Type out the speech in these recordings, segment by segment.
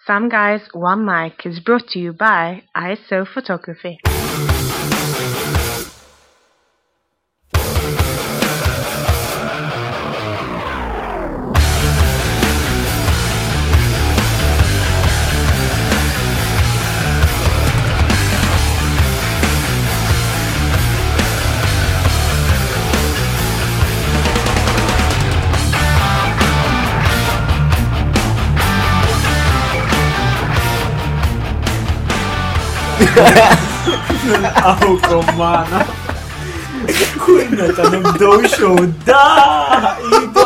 Some Guys, One Mic is brought to you by ISO Photography. Nilqawkom magħna. Kull meta nibdew show da! Iva!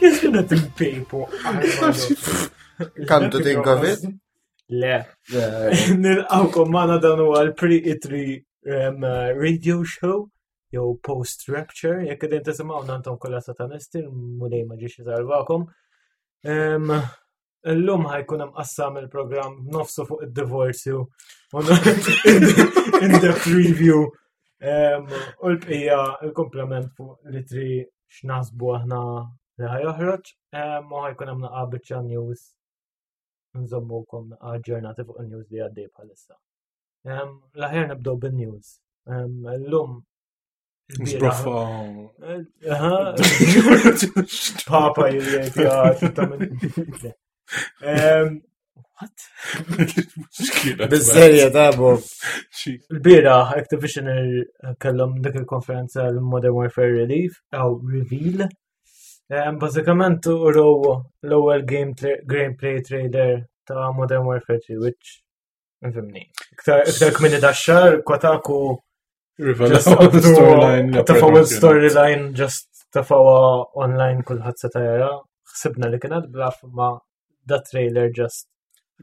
Jisuna timpejpu. Come to think of it. Le. Nilqawkom magħna dan huwa l-pre-E3 radio show jew post rapture, jekk qegħdin tisimgħu intom kollha satanisti, mulej ma ġiex isalvakom. Illum ħajkun hemm qassam il-programm nofsu fuq id-divorzju in-depth review u l-bqija il-komplement fuq li tri x'naħsbu aħna li ħajoħroġ u ħajkun hemm naqa' biċċa news nżommukom aġġornati fuq il-news li għaddej bħalissa. L-aħjar nibdew bin-news. Illum Zbroffa. Papa jgħid ta' What? Bizzerja ta' Bob. Il-bira, Activision kellhom dik il-konferenza l-Modern Warfare Relief, aw Reveal. Bażikament uraw l-ewwel gameplay trailer ta' Modern Warfare 3, which Nfimni. Iktar kmini da xar, Kotaku storyline. Tafaw storyline just tafawa online kulħadd seta' jara. Ħsibna li kienet blaf ma da trailer just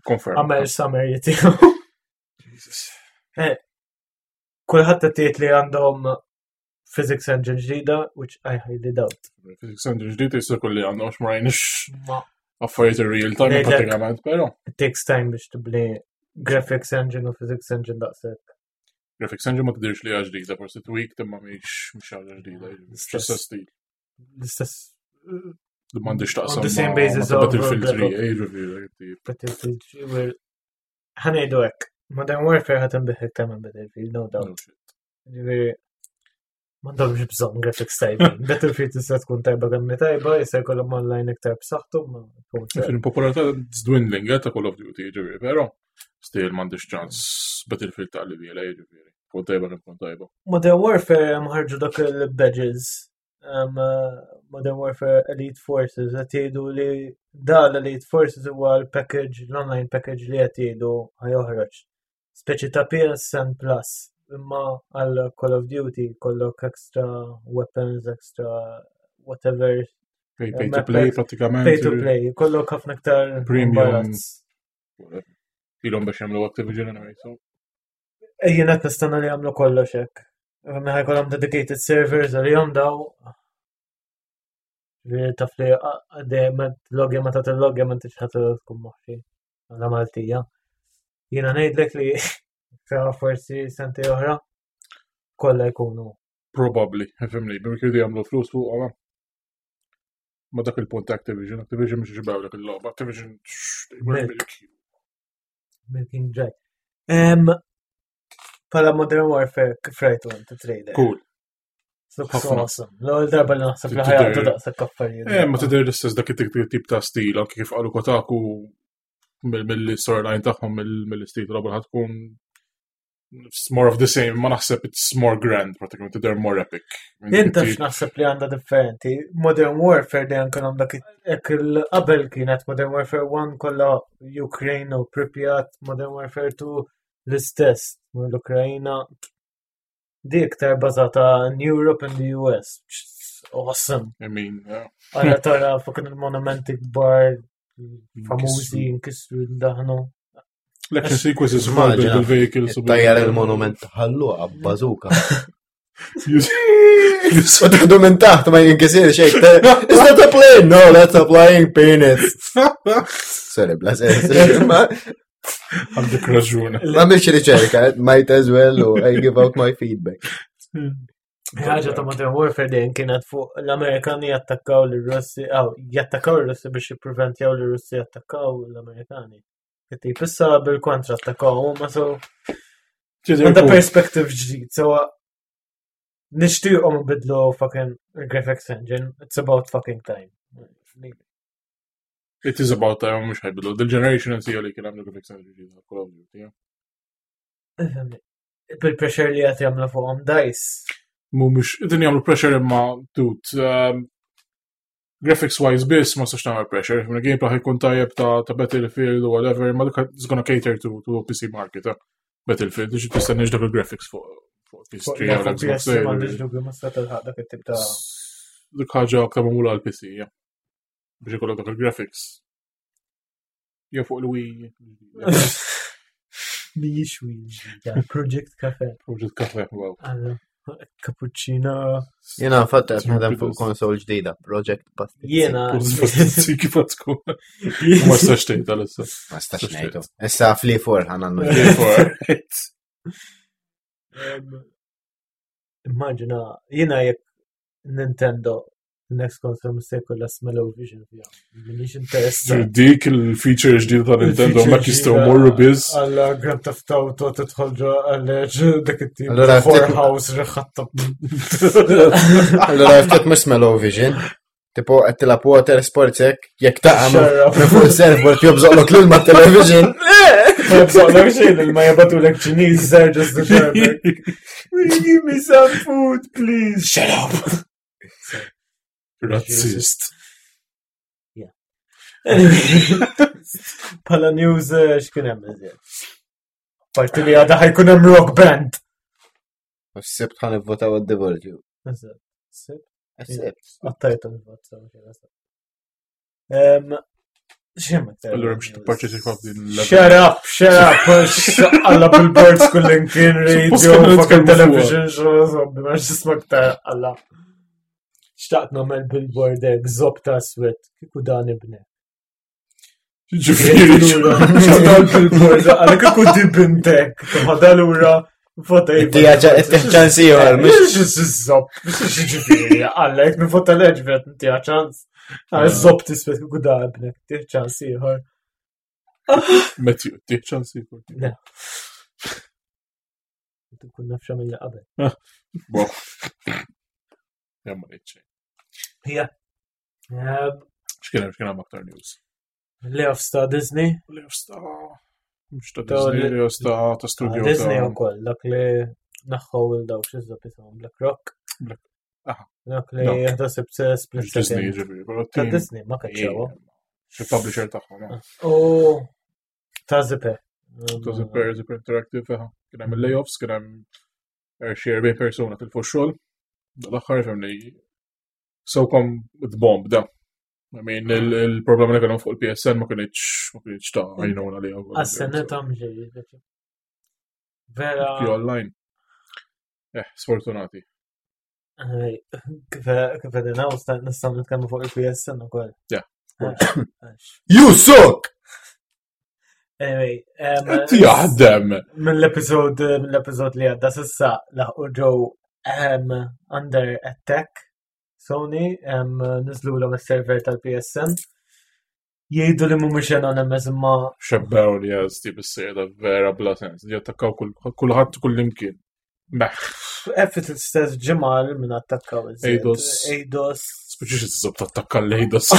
Confirm. Għamel summary tiegħu. Eh, kulħadd qed li għandhom physics engine ġdida, which I highly doubt. Physics engine ġdida jista' kulli għandhom għax ma rajniex affarijiet in real time pratikament, però. It takes time biex tibni graphics engine u physics engine daqshekk. Graphics engine ma tidirx li ġdida, forsi tweak imma mhix mhix ħaġa ġdida, l-istess stil. L-istess Li m'għandix taqsam. The same basis of Battlefield 3, eh, ġifieri. Battlefield 3, ħanejdu hekk. Modern Warfare ħadd inbih iktar minn Battlefield, no doubt. Ġifieri m'għandhomx bżonn graphics tajbin. Battlefield tista' tkun tajba kemm tajba, jista' jkollhom online iktar b'saħħtu. Il-popolarità dwindling eh, ta' Call of Duty, ġifieri, però still m'għandix ċans Battlefield ta' li biela, ġifieri. Tkun tajba kemm tkun tajba. Modern Warfare ħarġu dak il-badges um, Modern Warfare Elite Forces qed jgħidu li da l-Elite Forces huwa l-package, l-online package li qed jgħidu ħajoħroġ. Speċi ta' PSN Plus, imma għal Call of Duty kollok extra weapons, extra whatever. Pay, pay to play pratikament. Pay to play, kollok ħafna iktar premium. Ilhom biex jagħmlu Activision anyway, so. Eh, jien qed nistenna li jagħmlu kollox hekk. Mela jkollhom dedicated servers għalihom daw. Taf li dejjem logja meta tillogja ma intix ħadd tkun moħħi. Għala Maltija. Jiena ngħidlek li sa forsi senti oħra kollha jkunu. Probably, fimni, bim kirdu jagħmlu flus fuq għala. Ma dak il-punt Activision, Activision mhux ġibaw dak il-logħba, Activision Milk. Milking Dry. Pala Modern Warfare kif rajtu għant trailer. Cool. Looks awesome. L-ewwel darba li naħseb li ħajaqdu daqshekk affarijiet. Eh, ma tidher l-istess dak it-tip ta' stil, anke kif qalu Kotaku mill-storyline tagħhom mill-istil tal-logħba ħad tkun it's more of the same, ma naħseb it's more grand, pratikament, they're more epic. Inta x'naħseb li għandha differenti. Modern Warfare dejjem kien dak il-qabel kienet Modern Warfare 1 kollha Ukraine u Pripyat, Modern Warfare 2 l-istess, l-Ukraina Di iktar bazata in Europe and the US. Awesome. I mean, yeah. Għalla tara fuq il-monumenti kbar famużi nkissru daħnu. L-action sequences ukoll bil-vehicles. Tajjar il-monument ħallu bazooka. U taħdu minn taħt ma jinkisir xejn. Is that a plane? No, that's a flying penis. Sorry, bla sens. Għandek raġun. Ma mhix riċerka, might as well, I give out my feedback. Ħaġa ta' Modern Warfare dejjem kienet fuq l-Amerikani jattakkaw l-Russi, aw, jattakkaw l-Russi biex jippreventjaw l-Russi jattakkaw l-Amerikani. Tip issa bil-kontra attakkaw huma so għandha perspective ġdid, so nixtieqhom bidlu fucking graphics engine, it's about fucking time. It is about time, mhux ħajbidlu. The generation and li kien hemm graphics engine ġdid Call of Duty. Bil-pressure li qed jagħmlu fuqhom DICE. Mhumiex, din jagħmlu pressure imma dude, um, graphics wise biss ma sax tagħmel pressure, imma gameplay ħajkun tajjeb ta' ta' Battlefield u whatever, imma dik it's gonna cater to to PC market. Eh? Battlefield, biex tistenniex dak il-graphics fuq fuq PS3 jew Xbox. M'għandix dubju ma sta tilħaq dak it-tip ta' Dik ħaġa aktar magħmula għal PC, ja. Biex ikollok dak il-graphics. Jew fuq il-Wii. Mhijiex Wii ġdida, Project Cafe. Project Cafe, wow. Cappuccino. Jena fatta qed naħdem fuq konsol ġdida, Project Pastizzi. Jena. Kif tkun? Ma stax tgħid għalissa. Ma stax ngħidu. Issa fli for ħan għannu. Immaġina, jiena jekk Nintendo next console mhux se jkollha smell-o-vision fiha. M'iniex interessat. Dik il-feature ġdida ta' Nintendo ma jistgħu morru biss. Għalla Grand Theft Auto tidħol ġo għal dak it-tip. Allura whorehouse riħatta. Allura ftit mhux smell-o-vision. Tipo qed tilgħab water sports hekk jekk taqa' minn fuq il-surfboard jobżoqlok l-ilma television. Ma jobżoqlok xejn ilma jabatulek Ċiniż żgħar just the Give me some food, please. Shut up. Razzist. Pala news eh, x'kien hemm iżjed. Parti li għadha ħajkun hemm rock band. Sibt ħan ivvotaw għad-divorzju. Eżatt. Sibt. Sibt. Għattajt il-vot. Allura biex tipparteċipa f'din l Shut up, shut up, alla billboards kullimkien, radio, fucking television, xo, ma xismak ta' alla. Xtaqt namel billboard hekk, zob ta' swet, kiku dan ibne. Ġifieri. Xtaqt billboard, għalla kiku di bintek, tħodha lura. Vota Tija ċans ieħor, mhux zob, mhux ġifieri, alla jekk nivota leġ vet tija ċans. Zob tisbet kiku da ibnek, tija ċans ieħor. Matthew, tija ċans ieħor. Le. Tkun naf x'għamilna qabel. Bo. Jamma ngħid xejn. Ja. X'kien hemm x'kien hemm aktar news? Layoffs ta' Disney. Layoffs ta' mhux ta' Disney, layoffs ta' ta' studio. Disney ukoll dak li naħħu il dawk xi żopp isimhom Black Rock. Black Aha. Dak li jieħdu split Disney ġifieri, però Ta' Disney ma kaċċaw. Xi publisher tagħhom. U ta' Zipper. Ta' Zipper, Zipper Interactive, kien hemm il-layoffs, kien hemm xi 40 persuna tilfu x-xogħol. Dal-aħħar fimni sewkom bomb da. I mean, il-problema li kellhom fuq il-PSN ma kienx ma kienx ta' għajnuna li għu. Għas-sena ta' mġej. Vera. Ki online. Eh, sfortunati. Kif għedin għaw, nistaw nitkellmu fuq il-PSN u koll. Yeah. You suck! Anyway, Qed jaħdem. Mill-episod mill-episod li għadda sissa laħqu ġew under attack Sony niżlu l server tal-PSN. Jgħidu li mhumiex anonymous imma Xebbew li għazti bis-sejda vera bla sens. Jattakkaw kulħadd kull imkien. Meħ. Effet l-istess ġimgħa minn attakkaw Eidos. Eidos. Speċi xi tiżob tattakka l-Eidos.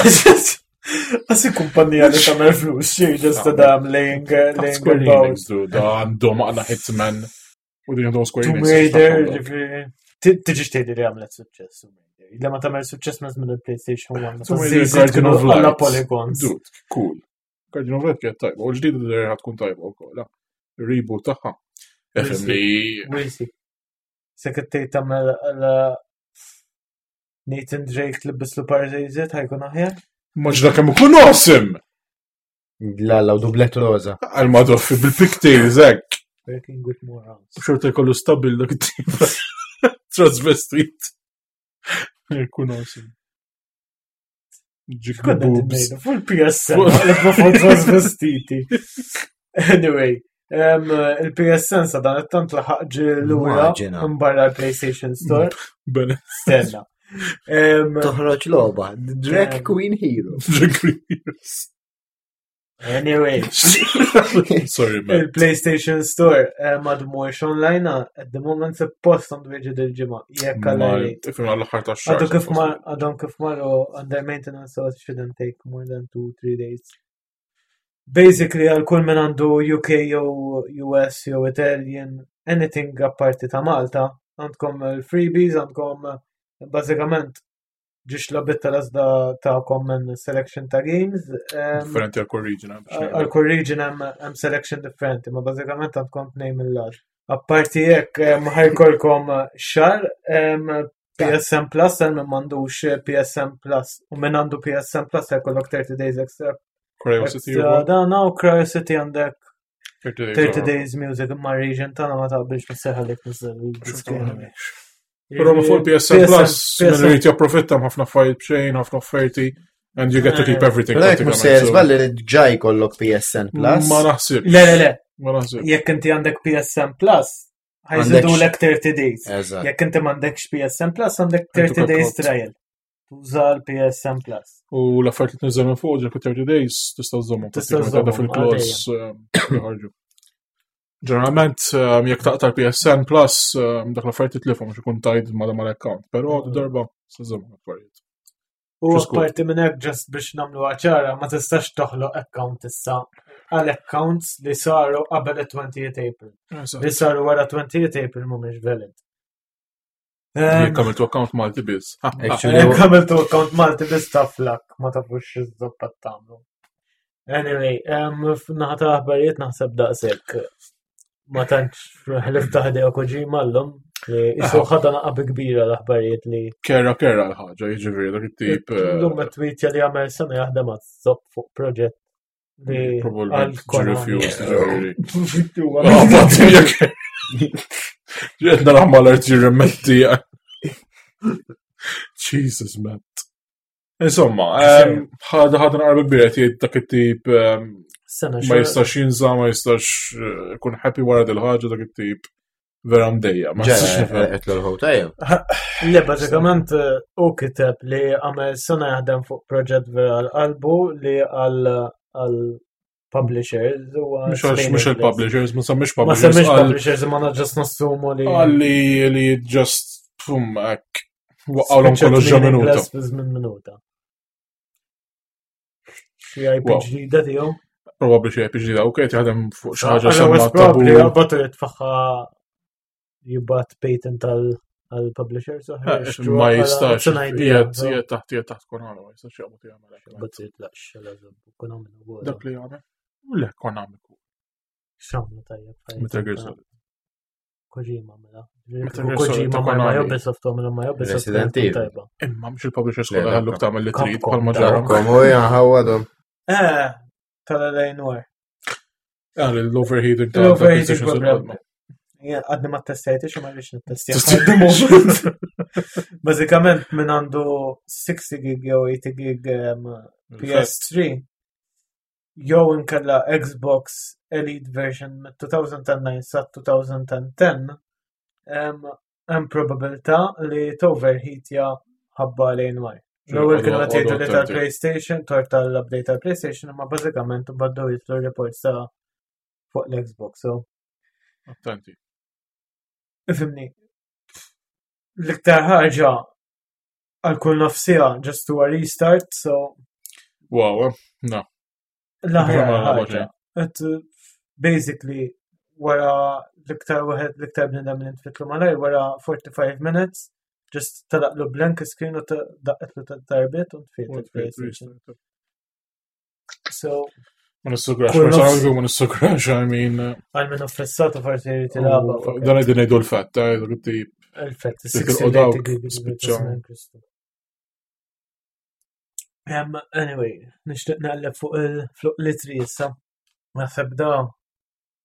Għasi kumpanija li tagħmel flus, xej just ta' dam laying laying Square about. Enix, dude, da għandhom għandna Hitman. U din għandhom Square Tomb Enix. Raider, ġifieri. Tiġi xtejdi li għamlet suċċess. Tomb Raider. Li ma tagħmel suċċess minn żmien il-PlayStation 1. meta Tomb Raider, żiżiet Guardian kienu of Light. Alla polygons. Dude, cool. Guardian of Light kienet tajba. U l-ġdida der ħatkun tajba wkoll. ah. Il-reboot tagħha. Efhem li We'll see. Se kittej tagħmel għala Nathan Drake li bislu parżejżiet ħajkun aħjar? Maġna kemm ikun awesome! La, la, u dublet roza. Għal madoffi bil-pigtails hekk. Working with morons. Xorta jkollu stabil dak it-tip. Transvestit. Jkun awesome. Ġik Konna boobs. ngħidu fuq il-PSN, għalibna fuq transvestiti. Anyway. Il-PSN sa dan it-tant laħaq ġi lura Immaġina. minn barra l-PlayStation Store. Bene. Stenna. Toħroġ logħba, Drag Queen Hero. Anyway, Sorry, man. il-PlayStation Store għadu mhuwiex online at the moment suppost għandu jiġi dil-ġimgħa. Jekk għal rate. Ifhem għall-aħħar tax-xahar. Għadu kif mar għadhom kif marru under maintenance so it shouldn't take more than 2-3 days. Basically għal kull min għandu UK jew US jew Italian anything apparti ta' Malta, għandkom il-freebies, għandkom bażikament ġiex logħbiet tal-għażla tagħkom minn selection ta' games. Differenti għal kull region. eh, biex Għal ngħidu. kull region hemm selection differenti, ma bażikament għandkom tnejn mill-għax. Apparti hekk ħajkolkom xahar PSN Plus għal min m'għandux PSN Plus u min għandu PSN Plus ħajkollok 30 days extra. Cryo City Extra ukoll, dana u Cryo City għandek 30 days. 30 oħra. days music imma region tagħna ma taqbilx ma seħalek niżel il-diski. Però ma fuq il-PSN Plus, min irid japprofitta ħafna affarijiet b'xejn, ħafna offerti, and you get to keep everything. Però jekk mhux sejjer pratikament, so- żball li ġa jkollok PSN Plus. Ma naħsibx. Le, le, le, Ma naħsibx. jekk inti għandek PSN Plus, ħajżidu lek 30 days. Eżatt. Jekk inti m'għandekx PSN Plus, għandek 30 Għandek days account. trial. Tuża l-PSN Plus. U l-affarijiet li tniżel minn fuq ġek 30 days tista' żommhom. Tista' pratikament, żżommhom, għadha fil-clause joħorġu. Ġeneralment jekk taqta' l-PSN Plus dak l-affarijiet titlifhom għax ikun tied ma' mal-account, però darba se żommhom l-affarijiet. U Just good. apparti minn hekk just biex nagħmlu ċara, ma tistax toħloq account issa għal accounts li saru qabel il-28 April. Li saru wara 28 April mhumiex valid. Jekk għamiltu account Malti biss. Actually, Jekk għamiltu account Malti biss taflak, ma tafux x'iż-żoppa tagħmlu. Anyway, f'naħa ta' aħbarijiet naħseb daqshekk. Ma tantx ħlif ta' Hideo Kojima llum li isu ħadha naqab kbira l-aħbarijiet li Kera kera l-ħaġa, jiġifieri dak it-tip. L-lum tweetja li għamel sena jaħdem għaz-zopp fuq proġett li Probabbilment għal ġi refused, Konami. jiġifieri. Ah, batti jekk. Ġiet naraħ mal-art jirrimetti. Jesus, man. Insomma, ħada ħada naqra kbira jgħid dak it-tip Sena ma jistax jinża, ma jistax ikun happy wara dil-ħaġa dak it-tip vera mdejja. Ma jistax nifhem. Ġa, qed l tajjeb. Le, bażikament u kiteb li għamel sena jaħdem fuq proġett vera għal qalbu li għal għal publishers u Mhux għax mhux il-publishers, ma semmix Ma publishers. semmix għal- publishers imma just nassumu li Għal li li just pum hekk waqgħulhom kollox ġo minuta. meaningless fi żmien minuta. Xi IP Wow. ġdida tiegħu. Probabbli xi IP ġdida, ok, jaħdem fuq xi ħaġa Għala semma wis probably tabu. għabbatu jitfaħħa jibbat patent għal-publishers oħra. jixtruha Ma bħala- jistax, it's an idea, qiegħed so- qiegħed taħt qiegħed taħt Konami, ma jistax jaqbad jagħmel hekk. But jitlaqx għal Konami u Dak li jagħmel. U le Konami. Xamlu tajjeb. Metal Gear Solid. Kojima mela. Metal Gear Solid Kojima ta' ma ma Konami. Ubisoft għamlu ma Ubisoft. Resident kienet Evil. tajba. Imma mhux il-publishers Le, kollha ħalluk Capcom. tagħmel li trid Capcom, bħalma ġara. Capcom u ħawadhom. Eh, tal-LA Noir. Ah, L-overheating ta' L-overheating PlayStation problem. il-qodma. Jien Għadni ma testjajtix u ma rridx nittestja. Bażikament minn għandu 60 gig jew 80 gig PS3 jew inkella Xbox Elite version mit 2009 sa 2010 hemm probabilità li toverheatja ħabba lejn waj. L-ewwel kienu qed jgħidu li tal-PlayStation, tort tal-update tal-PlayStation, imma bażikament baddew jitlu reports ta' fuq l-Xbox. So, Attenti. ifhimni. L-iktar ħaġa għal kull nofsija just to a restart, so Wow, no. l-aħjar Ma ħaġa. ħaġa. Et basically wara l-iktar wieħed l-iktar bnidem li nfitlu malajr wara 45 minutes just talaqlu blank screen u daqqetlu ta' darbiet u tfiet il-PlayStation. So, Ma nissugrax, Kull nofs- personalment ma nissugrax, I mean. għal minn offessatu forsi jrid jilagħba. u Dan qegħdin ngħidu l-fatt, eh, dak it-tip. Il-fett, Dik 60 il-qodawk gig spiċċa. Anyway, nixtieq naqleb fuq il-fuq litri issa. Naħseb da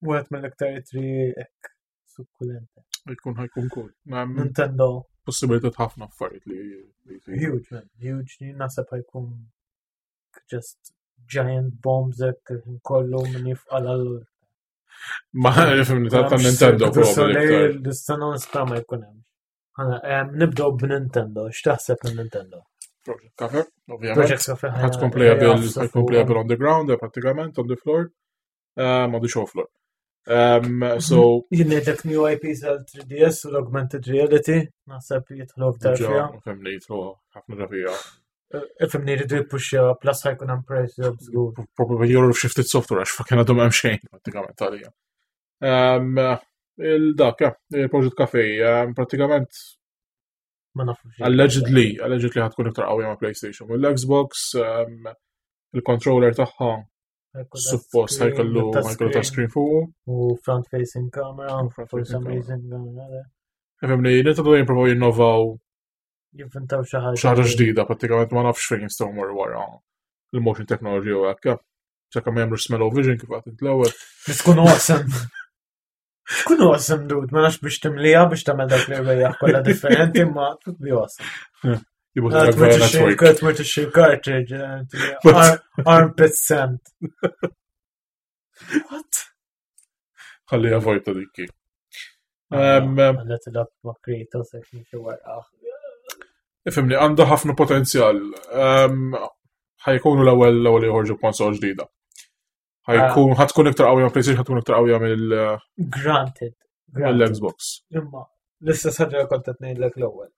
wieħed mill-iktar litri hekk sukkulenti. Jkun ħajkun cool. Hemm Nintendo Possibilità ħafna affarijiet li li jsiru. huge man, huge li naħseb ħajkun just giant bombs hekk il-ħin kollu min jifqal għal Ma nifhimni ta' Nintendo probably. Nista' nista' ma jkun hemm. Nibdew b'Nintendo, x'taħseb minn Nintendo? Project Cafe, ovvjament. Project Cafe. Ħad tkun playable, ħad tkun playable on the ground, eh, pratikament, on the floor. On the show floor. So. Jien ngħidlek new IPs għal 3DS u l-augmented reality, naħseb jidħlu aktar fiha. Fimni jidħlu ħafna fiha. Eh, ifimni jridu jippuxja plus ħajkun hemm price drop żgur. Probably jorru xi ftit software għax fucking għadhom hemm xejn pratikament għalija. Il-dak, il-Project Cafe, pratikament ma nafux. Allegedly, allegedly ħatkun iktar qawwija ma' PlayStation u l-Xbox, il-controller tagħha suppost ħajkollu ħajkollu ta' screen fuq. U front facing camera, for some reason. Fimni, Nintendo jimprovaw jinnovaw Jivvintaw xi ħaġa. Xi ħaġa ġdida, pratikament ma nafx fejn jistgħu morru wara il-motion technology u hekk. Sakemm ma jagħmlux smell vision kif għad l-ewwel. Tkun awesome. Tkun awesome, dude, ma nafx biex timlija biex tagħmel dak li rwejjaħ kollha differenti, ma tkun be awesome. Tmur tixxi cartridge, eh, armpit scent. What? Ħalli avoid ta' dikki. Għalla tilab ma' Kratos għek nixi warqaħ. Ifimni, għandha ħafna potenzjal. Ħajkunu l-ewwel l-ewwel joħorġu konsol ġdida. Ħajkun ah. ħatkun iktar qawwija PlayStation ħatkun iktar qawwija mill Granted. Mill-Xbox. Imma l-istess ħaġa kont qed ngħidlek l-ewwel.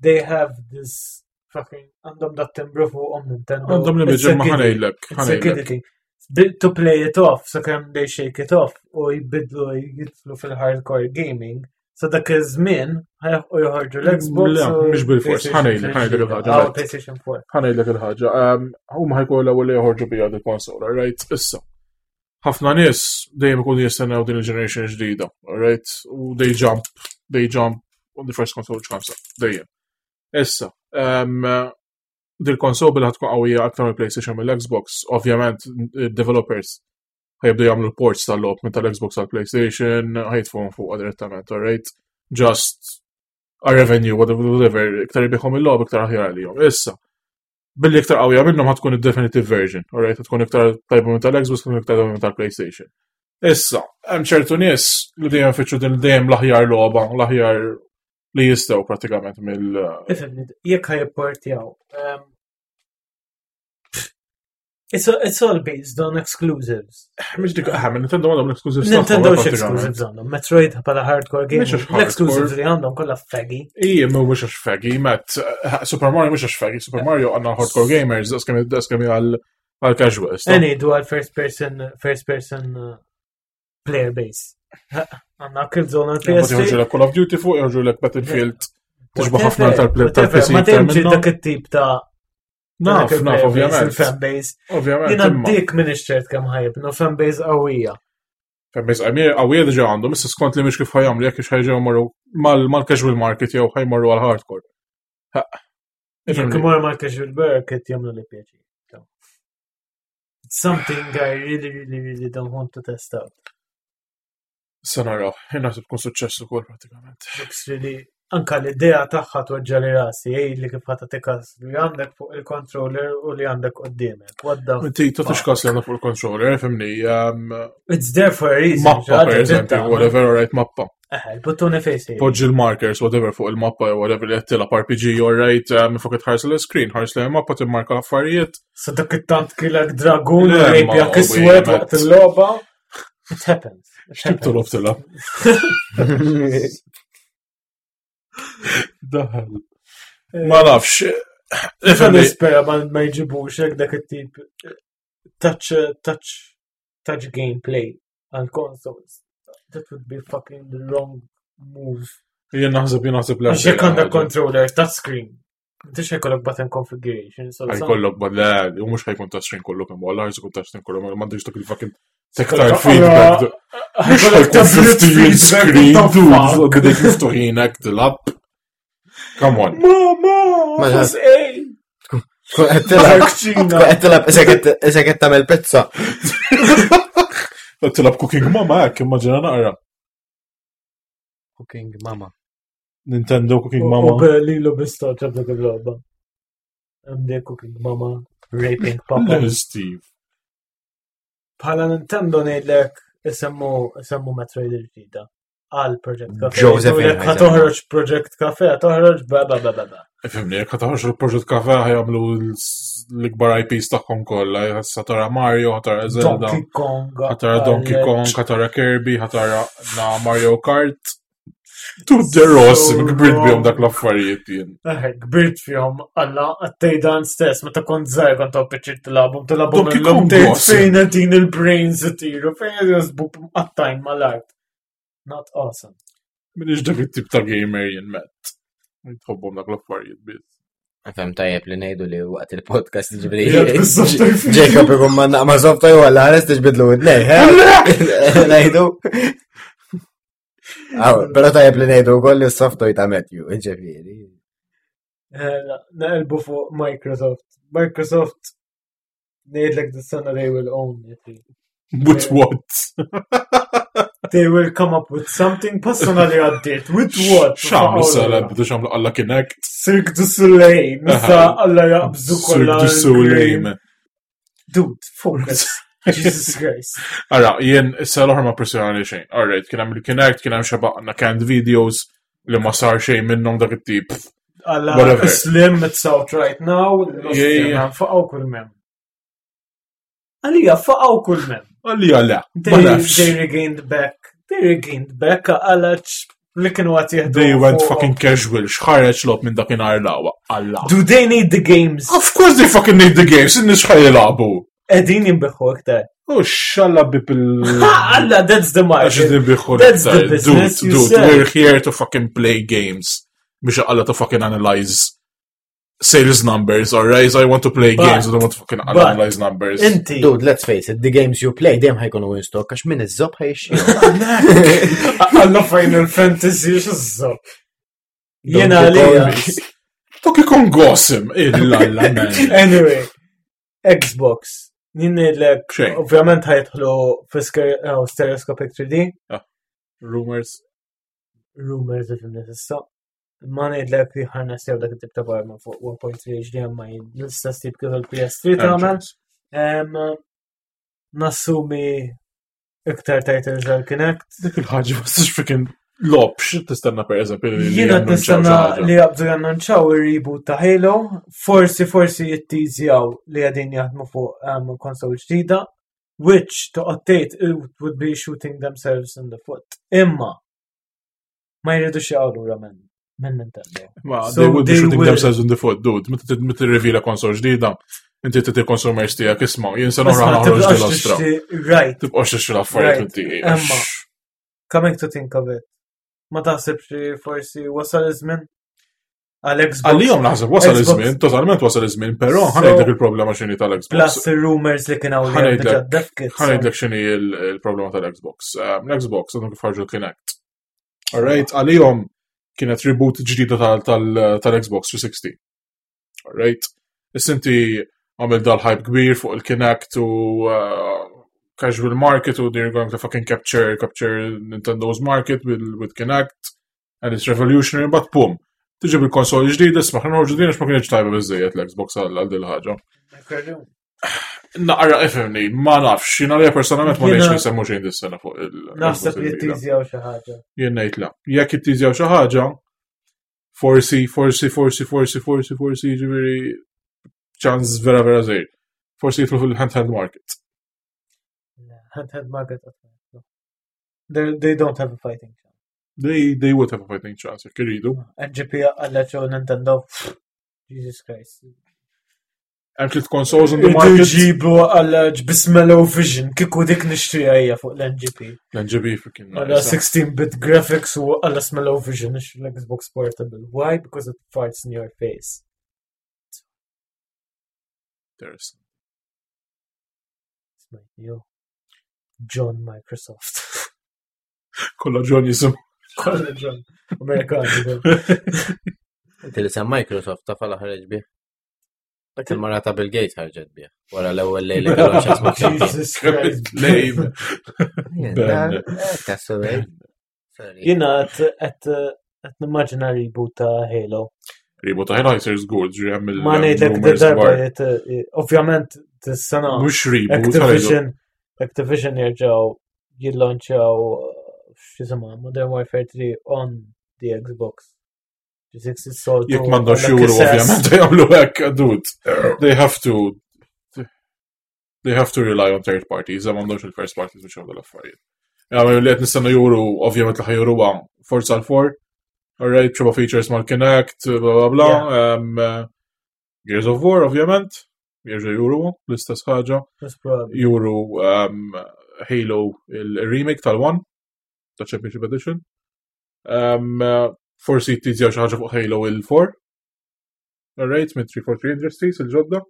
They have this fucking għandhom dat timbru fuqhom Nintendo. Għandhom li miġi ma ħanejlek. Ħanejlek. To play it off, so kemm they shake it off u jbidlu jitlu fil-hardcore gaming. Sa dak iż-żmien u joħorġu l-Xbox. Le, mhux bil-fors, ħanejlek, ħanejlek il-ħaġa. Ah, PlayStation 4. Ħanejlek il-ħaġa. Ehm, huma ħajkunu l-ewwel li joħorġu bija dil-konsola, right? Issa. Ħafna nies dejjem ikunu jistennew din il-generation ġdida, right? U they jump, they jump on the first console which comes up, dejjem. Issa, ehm, dil-konsol bil tkun qawwija aktar mill-PlayStation mill-Xbox, ovvjament developers ħajibdu jagħmlu ports tal-logħob minn tal-Xbox għal PlayStation, ħajtfuhom fuq direttament, alright? Just a revenue, whatever, iktar jibieħom il-logħob iktar aħjar għalihom. Issa, billi iktar qawwija minnhom ħatkun id-definitive version, alright? Tkun iktar tajba minn tal-Xbox, tkun iktar tajba minn tal-PlayStation. Issa, hemm ċertu nies li dejjem fittxu din dejjem l-aħjar logħba, l-aħjar li jistgħu pratikament mill. Ifhimni, jekk ħajportjaw. Ehm, it's, it's all based on exclusives. Mhux dik aħna Nintendo għandhom l-exclusives. Nintendo x-exclusives għandhom. Metroid bħala hardcore game. L-exclusives li għandhom kollha faggy. Ija, mhux għax faggy, met eh, Super Mario mhux għax faggy, Super Mario għandna hardcore gamers, daqskemm għal għal casuals. Eni, du għal first person, first person uh, player base. Għanna Killzone għal PS. Joħorġu l Call of Duty fuq, joħorġu l Battlefield. Tixba ħafna tal-PC. Ma temġi dak it-tip ta' Naf, naf, ovvjament. Il-fanbase. Ovvjament. Jina dik minn ċert kemm ħajib, no fanbase qawwija. Fanbase qawwija diġa għandhom, issa skont li mhix kif ħajamlu jekk ħajġew marru mal-casual market jew ħajmorru għal-hardcore. Jekk imorru mal-casual market jagħmlu li pjaċir. It's something I really, really, really don't want to test out. Sa naraw, naħseb tkun suċċess ukoll pratikament. Looks really anka l-idea tagħha tweġġa li rasi, ej li kif ħata tikas li għandek fuq il-controller u li għandek qudiemek. What the Inti tagħtix kas li għandek fuq il-controller, fimni. Um, It's there for a reason. Mappa, per eżempju, whatever, right, mappa. Eħe, il-buttuni fejn Poġġi l-markers, whatever, fuq il-mappa, whatever li qed tilgħab RPG, all right, um, fuq tħares l-screen, ħares l mappa timmarka l-affarijiet. Sa dak it-tant kilek dragun u rejpjak iswed waqt il-logħba. It happens. X'tib tolob tilgħab? Daħal. Ma nafx. Nispera ma jġibux hekk dak it-tip touch touch touch gameplay għal consoles. That would be fucking the wrong move. Jien naħseb jien naħseb l Għax għandek controller touchscreen. Intix ħajkollok button configuration. Ħajkollok button, le, u mhux ħajkun touchscreen kollu kemm għalla ħajkun touchscreen kollu, ma m'għandix dak il-fucking tactile feedback. Mhux ħajkun 50 screen, dude, bidejk miftuħin hekk tilab. Come on. Mama, Tkun qed tilab. Tkun qed tilab isek qed tagħmel pizza. Tilab Cooking Mama hekk immaġina naqra. Cooking Mama. Nintendo Cooking Mama. U lilu bistoċa dik il-logħba. MD Cooking Mama, Raping Papa. Steve. Bħala Nintendo ngħidlek. isemmu isemmu Metroid il-ġdida għal Project Cafe. Josephine Jgħidulek Ħa toħroġ Project Cafe, ħa toħroġ ba ba ba ba ba. Ifhimni, jekk toħroġ il-Project Cafe ħa jagħmlu l-ikbar IPs tagħhom kollha, ħa tara Mario, ħa tara Zelda, Donkey Kong. ħa tara Donkey Kong, ħa tara Kirby, ħa tara na Mario Kart. Dude, they're awesome, So kbirt bihom wrong. dak l-affarijiet jien. Eh, Kbirt fihom għalla għattejdan stess, meta kont żgħir kont għaw tilabhom, tilabhom Donkey illum Kong tgħid awesome. fejn qegħdin il-brains itiru, fejn qegħdin żbub mqattajn mal-art. Not awesome. Minix dak it-tip ta' gamer jien met. Tħobbhom dak l-affarijiet biss. Fem tajjeb li ngħidu li waqt il-podcast ġifieri. Jgħid bis-software fi- Jacob ikun ma naqma software u għalla ħares tiġbidlu id-nej, Ngħidu. Aw, Però tajjeb li ngħidu wkoll li s-software ta' Matthew, ġifieri. Eh, la, Naqilbu fuq Microsoft. Microsoft ngħidlek dis-sena they will own it. With what? They will come up with something personally għaddiet. With what? X'għamlu sala bidu x'għamlu alla Kinect. Cirque du Soleil. Nista alla jaqbżu Cirque kollha. du Soleil. Dude, focus. Jesus Christ. Ara, jien issa l-oħra ma pressjonali xejn. Alright, kien hemm il-Kinect, kien hemm xebaqna canned videos li ma sar xejn minnhom dak it-tip. Alla Whatever. Slim, it's out right now. Yeah, yeah. Faqaw kull mem. Għalija, faqaw kull mem. Għalija le, ma They, nafx. they regained back. They regained back għalla li kienu għat jihdu. They went fucking casual, xħareġ lob minn dakinhar lawa. Alla. Do they need the games? Of course they fucking need the games, in-nies xħaj jilagħbu. Edin jimbiħu iktar. U xalla bib il- Alla, that's the Għax market. nibbiħu That's the l-iktar. business Dude, you dude, said. we're here to fucking play games. Biex għalla to fucking analyze sales numbers, alright? I want to play But- games, I don't want to fucking but- analyze numbers. Inti. Dude, let's face it, the games you play dejjem ħajkunu in stock għax min iż-żob ħajxi. Alla Final Fantasy, xizzo. Jena Donkey għalija. Kong. Donkey Kong awesome! Illa, man. Anyway, Xbox. Jien ngħidlek, Xejn. ovvjament ħajtħlu fi oh, stereoscopic 3D, Rumors. rumors li fimni issa. Ma ngħidlek li ħarna sew dak it-tip ta' barma fuq 1.3 HDMI l-istess tip kif il-PS3 tagħmel. Em, Nassumi iktar titles għal Kinect. Dik il-ħagġa ma tistax freaking lob, xi tistenna per eżempju li Jiena jannunċaw xi nistenna ħaġa. li jabdu jannunċaw ir-reboot ta' Halo, forsi forsi jittizjaw li għadin jaħdmu fuq konsol ġdida, which to update it would be shooting themselves in the foot. Imma ma jridux jaqgħu lura minn minn Nintendo. Ma So they would be they shooting will- themselves in the foot, dude. Meta meta tirrivela konsol ġdida, inti titi consumers tiegħek isma' jien se Isma' noħra noħroġ tibqax dil-ostra. tixtri- Right, Tibqax tixtri l-affarijiet Right. inti. Imma. coming to think of it. Ma taħsibx li forsi wasal iż-żmien għal Xbox Għalihom naħseb wasal Xbox. iż-żmien, totalment wasal iż-żmien, però So- ħanejdlek il-problema x'inhi tal-Xbox. plus il-rumors li kien hawn li hemm Ħanejdlek- diġà dev kits. Ħanejdlek x'inhi il-problema tal-Xbox. L-Xbox għandhom kif ħarġu l-Kinect. Alright, għalihom kienet reboot ġdida tal-Xbox 360. Alright. Issa inti għamil dal-hype kbir fuq il-Kinect u casual market u they're going to fucking capture Nintendo's market with Kinect and it's revolutionary, but boom. Tiġi bil-konsol ġdida, isma' ħna noħorġu din għax ma kienx tajba biżejjed l-Xbox għal din il-ħaġa. Naqra ifhimni, ma nafx, jiena li personalment ma Jiena- ngħidx li semmu xejn dis-sena fuq il- Naħseb li il-ġdida. jittizjaw xi ħaġa. Jien ngħid la. Jekk jittizjaw xi ħaġa, forsi, forsi, forsi, forsi, forsi, forsi, jiġifieri ċans vera vera żgħir. Forsi jidħlu fil-handheld market. Handheld market qatt ma jidħlu. They don't have a fighting chance. They would have a fighting chance jekk iridu. NGP għalla ċew Nintendo. Jesus Christ. Hemm tliet consoles in the Irdu market. ġibu għalla ġbismelo vision kiku dik nixtrija hija fuq l-NGP. L-NGP freaking Għalla nice. 16-bit graphics u għalla smelo vision ix l-Xbox Portable. Why? Because it farts in your face. There's- It's my new John Microsoft. Kollha John jisim. Kolla John. Amerikani. Inti li sem Microsoft ta' fala ħareġ bih. Dak il-mara ta' Bill Gates ħarġet bih. Wara l-ewwel lejla kellhom x'jasma' Jesus Christ. Lame. Ben. Tassu Sorry. Jina għet nimmaġina reboot ta' Halo. Reboot ta' Halo jsir żgur, ġri hemm il- Ma ngħidlek rumors darba kbar. jgħid, ovvjament dis-sena Mhux reboot, ħa ngħidu. Activision Activision jerġgħu jillanċjaw x'jisimha Modern Warfare 3 on the Xbox. 360 soltu. Jekk m'għandhomx juru ovvjament jagħmlu hekk, dude. They have to they have to rely on third parties, m'għandhomx il-first parties biex jagħmlu l-affarijiet. Għamlu li qed nistennu juru, ovvjament li ħajuruha Forza l-4, alright, xeba features mal-Kinect, bla bla bla. Gears of War, ovvjament, jerġa' juru l-istess ħaġa. Juru Halo il-remake tal-1, ta' Championship Edition. Forsi jittizjaw xi ħaġa fuq Halo il-4. Alright, minn 343 Industries il-ġodda.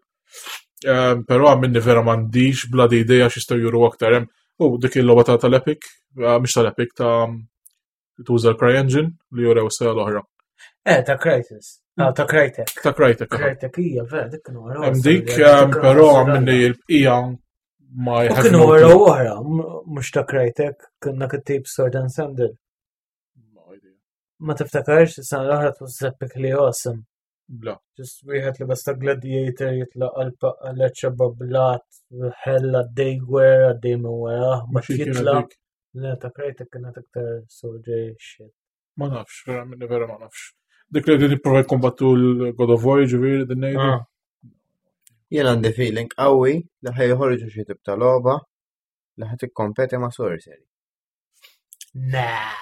Però għamminni vera m'għandix bla di idea x'jistgħu juru aktar hemm. U dik il-logħba ta' tal-Epic, mhux tal-Epic ta' tuża l-CryEngine li jurew sena l-oħra. Ta' Crysis. Ah, ta' Crytek. Ta' Crytek. Crytek hija vera dik kienu wara. Hemm dik, però għamminni l-bqija ma U kienu wara oħra, mhux ta' Crytek, kienna kittib Sword and Sandal. Ma tiftakarx, is-sena l-oħra twas epically awesome. Bla. Just wieħed li basta gladiator jitlaq għal bablat, ħella għaddej gwerra, għaddej minn wara, ma Xi kienet jitla. dik? Le, ta' Crytek kienet iktar soldier shit. Ma nafx, vera minni vera ma nafx. Dik li qegħdin jipprova jkombattu l-God of War, ġifieri din ngħidu. Ah. Jien għandi feeling qawwi li ħajħorġu xi tip ta' logħba li ħad tikkompeti ma' Sorcery. Nah.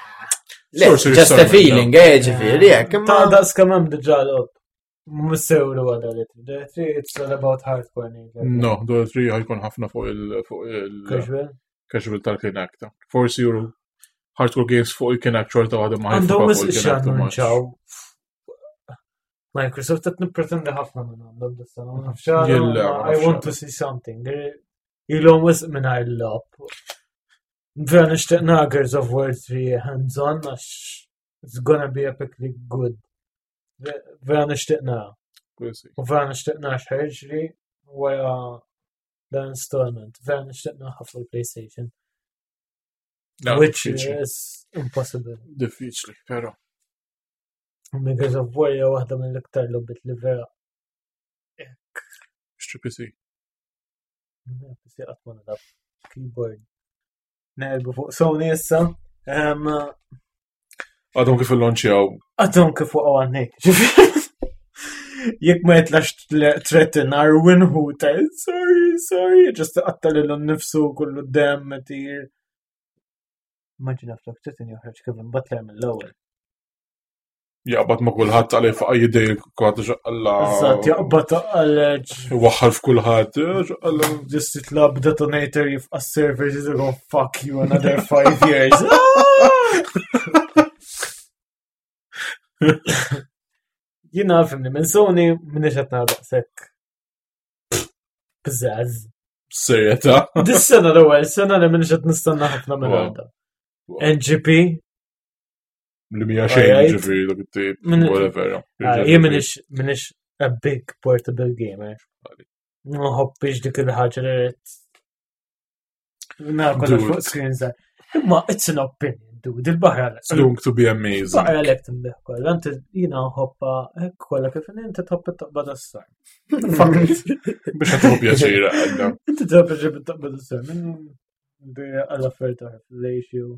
Le, Sorcery just a Storm, feeling, ġifieri, jekk imma. Ta' daqs kemm hemm diġà logħob. Mhux sewru għadha li trid. It's all about hardcore. ngħidlek. No, Dota 3 ħajkun ħafna fuq il fuq il Casual. casual tal-Kinect. Forsi juru hardcore games fuq il-Kinect xorta waħda ma Għandhom ħajfuka wisq fuq il-Kinect too much. x'annunċaw. Microsoft qed nippretendi ħafna minn għandhom dis-sena, ma nafx għala, Jilla, ma ma I nafx want għala. to see something. Ilhom wisq mingħajr l-logħob. Vera nixtieq nara Gears of War 3 hands-on għax it's gonna be epically good. Vera nixtieq nara. We'll see. U vera nixtieq nara x'ħarġri wara l-installment. Vera nixtieq nara fuq il-PlayStation. No, Which diffiċli. is impossible. Diffiċli, però. Gears of War hija waħda mill-iktar logħbiet li vera Xtri PC. PC qatt ma nilgħab keyboard. Neqilbu fuq Sony issa. Għadhom kif il-launchjaw. Għadhom kif waqgħu għannik. Jekk ma jitlax threaten Arwin hu ta' sorry, sorry, just qatta lilu nnifsu kullu dem tir. Immaġina flok threaten joħroġ Kevin Butler mill-ewwel. Jaqbad ma kulħadd għalih faqa jidej kulħadd ġaqalla. Eżatt, jaqbad għal Waħħal f'kulħadd. ġaqalla. Just jitlab detonator jifqa servers he's gonna fuck you another 5 years. Jina fimni minn Sony minni qed nara daqshekk. Pizzazz. Serjetà. Dis-sena l-ewwel sena li minni qed nistenna ħafna minn Wow. għandha. NGP, Li mija xejn Alright. ġifieri dak it-tip. Whatever. jien minix a big portable gamer. Nħobbix dik il-ħaġa li rrid. Nara kollox Dude. fuq screen żgħar. Imma it's an opinion, dude, il-baħra It's going to be amazing. Baħra lek tinbih kollha, inti jiena nħobba hekk kollha kif inti tħobb it-toqba tas-sar. Fuck it. Biex ħatħu pjaċir għadda. Inti tħobb it-toqba tas-sar. Minn għal affarijiet oħra, fellatio,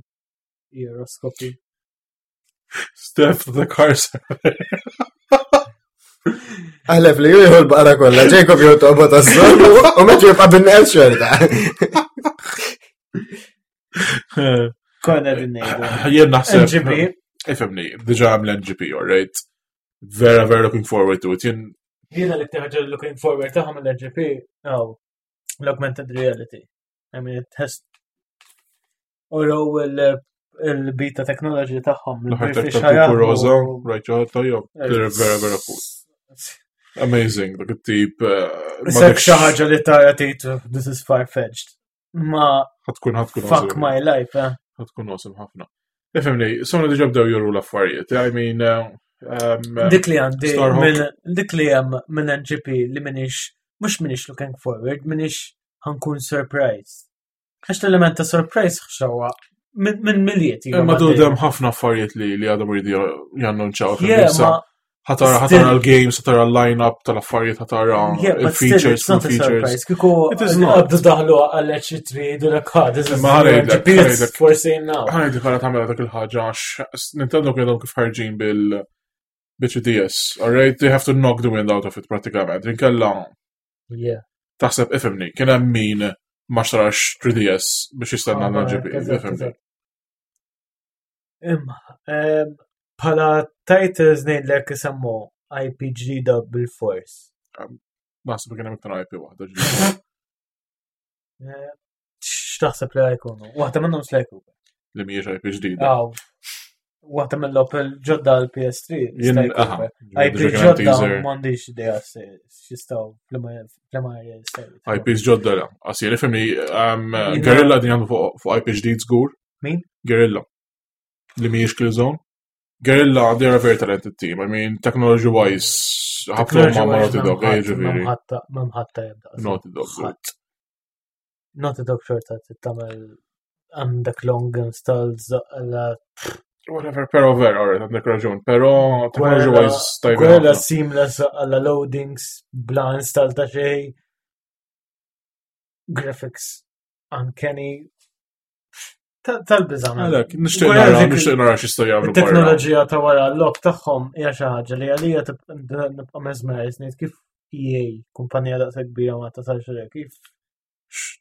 eroskopi. Steph the car Aħlef li jieħu l-baqra kollha, Jacob jew toqba tas-sol u meta jibqa' bin-neqs xorta. Konna din ngħidu. Jien naħseb. NGP. Ifhimni, diġà għam l-NGP, alright? Vera, vera looking forward to it. Jien Jiena l-iktar ħaġa li looking forward tagħhom l-NGP, oh, l-augmented reality. I mean, it has Uraw il-beta technology tagħhom. l-ħar il-bifix ta' ħajaħdmu. Rosa, right, ġaħat tajjeb. They're vera, vera cool. Amazing, dak it-tip. Sak xi ħaġa li tara tgħid this is far-fetched. Ma Ħatkun, ħatkun. fuck my life, eh. Ħatkun awesome ħafna. Ifhimni, Sony diġà bdew juru l-affarijiet. I mean, Dik li għandi Starhawk. minn dik li hemm minn NGP li minix mhux minix looking forward, minix ħankun surprised. Għax l-element ta' surprise ħxawa minn miliet. Imma du dem ħafna affarijiet li għadhom iridu jannunċaw. Yeah, ma Ħa tara ħa tara l-games, ħa tara l-line-up tal-affarijiet, ħa tara Yeah, but still, il-features, it's not full a features. surprise. Kieku It is not. għabdu daħlu għal-E3 jgħidu l ah, this is Ma ħa ngħidlek, GP, ħa it's ngħidlek. for sale now. Ħa ngħidlek għala tagħmel dak il-ħaġa għax Nintendo kienu kif ħarġin bil bil-3DS, alright? They have to knock the wind out of it pratikament. Inkella taħseb ifhimni, kien hemm min ma xtarax 3DS biex jistenna Ah, l-GP, eżatt, ifhimni. eżatt. Imma, bħala titles ngħidlek isemmu IP ġdida bil-fors. Naħseb kien hemm iktar IP waħda ġdida. X'taħseb li ħa jkunu? Waħda minnhom Sly Cooper. Li mhijiex IP ġdida. Aw. Waħda mill-logħob ġodda l-PS3. Jien, Sly aha, Cooper. IP ġdida kien hemm ġodda teaser. m'għandix idea x'jistgħu fl-ma jistgħu. IPs ġodda la. Għasir, ifhimni, Jien- Guerrilla din għandu fuq IP ġdid żgur. Min? Guerrilla. Li mhijiex Killzone. Guerrilla, they are a very talented team. I mean, technology wise, ħabtu ma' ma' Naughty Dog, eh, ġifieri. Memħatta jibda. Naughty Dog. Ħadd. Naughty Dog xorta tittamel għandek long installs la Whatever, pero vera, alright, għandek raġun. Pero technology Guerrilla- wise, tajba. Guerrilla ħafna. seamless għalla loadings bla install ta' xej. Graphics uncanny. Tal-biża. man. Għalek, nixtieq Guerrilla nara, dik- nixtieq nara x'jistgħu jagħmlu barra. Il-teknoloġija ta' wara l-lok tagħhom hija xi ħaġa li għalija nibqa' mesmerized ngħid kif EA kumpanija daqshekk kbira ma tasalx għalija kif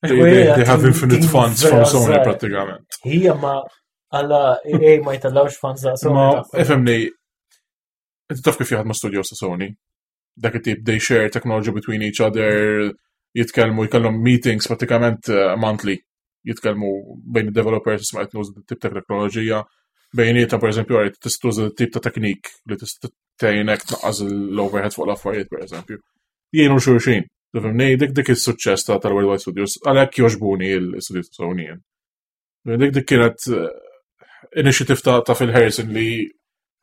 They have Team- infinite team funds from vera Sony żgħar. pratikament. Hija ma għalla EA ma jtellawx fans da' Sony. Ma, tagħhom. ifhimni, inti taf kif jaħdmu studios ta' Sony. Dak it-tip, they share technology between each other, jitkellmu, jkellhom meetings pratikament monthly. Jitkellmu bejn il-developers isma' qed nuża tip ta' teknoloġija. Bejnietha per eżempju, għarit tista' tuża tip ta' teknik li tista' tgħinek tnaqqas l-overhead fuq l-affarijiet per eżempju. Jgħinu xulxin. Tifhimni, dik is-suċċess ta' tal-Worldwide Studios, għalhekk jogħġbuni l-studios ta' Sony. jien. Dik kienet initiative ta' Phil Harrison li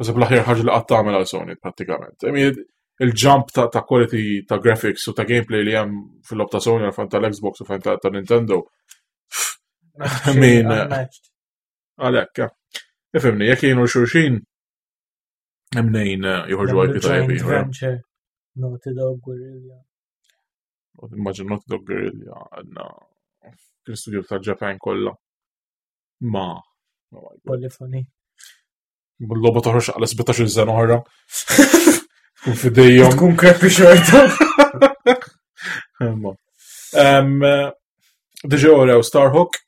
Nasib l-aħjar ħaġa li qatt tagħmel għal Sony prattikament. I mean, il-jump ta' quality ta' graphics u ta' gameplay li hemm fil-lob ta' Sony għal tal-Xbox u fan ta' Nintendo. I mean, Unmatched. Għalhekk, eh. Ifhimni, jekk jgħinu xulxin hemm nejn joħorġu Jagħmlu IP tajjeb joint ieħor. venture. Naughty Dog Guerrilla. Immaġin Naughty Dog Guerrilla għandna kien studio ta' Japan kollha. Ma, oh my God. Polyphony. l-logħba toħroġ għal 17 sena oħra. Tkun fidejhom. Tkun crappy xorta. Imma. Diġa urew Starhawk.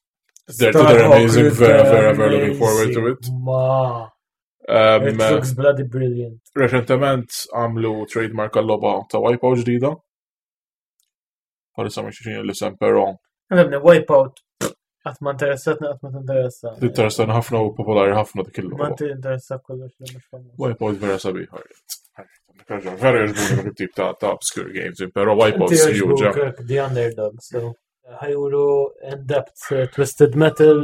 They're amazing. Vera, vera, vera looking forward to it. Ma, it looks bloody brilliant. Reċentement għamlu trademark għal-logħba ta' Wipeout ġdida. Bħalissa ma xixin l-isem, pero Għabni, Wipeout. Qatt ma interessatni, qatt ma tinteressa. tinteressani ħafna u popolari ħafna dik Ma il-logħba. tinteressa kollox li mhux famuż. Wipeout vera sabiħ. Vera jogħġbuni dak it-tip ta' obscure games, pero Wipeout Inti huge. jogħġbuk The Underdog, so. Ħa juru in-depth Twisted Metal,